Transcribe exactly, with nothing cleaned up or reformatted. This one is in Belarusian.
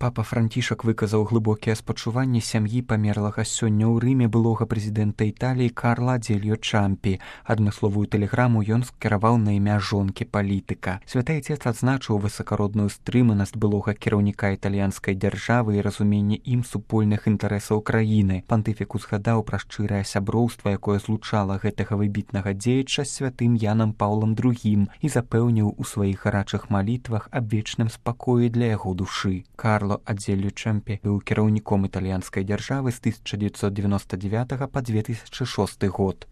Папа Францішак выказаў глыбокія спачуванні сям'і памерлага сёння ў Рыме былога прэзідэнта Італіі Карла Адзельо Чампі. Адмысловую тэлеграму ён скіраваў на імя жонкі палітыка. Святы Айцец адзначыў высакародную стрыманасць былога кіраўніка італьянскай дзяржавы і разуменне ім супольных інтарэсаў краіны. Пантыфік узгадаў пра шчырае сяброўства, якое злучала гэтага выбітнага дзеяча з святым Янам Паўлам другім і запэўніў у сваіх гарачых малітвах аб вечным спакоі для яго душы. Карло Адзельо Чампі быў кіраўніком італьянскай дзяржавы з тысяча дзевяцьсот дзевяноста дзевятага па две тысячы шосты год.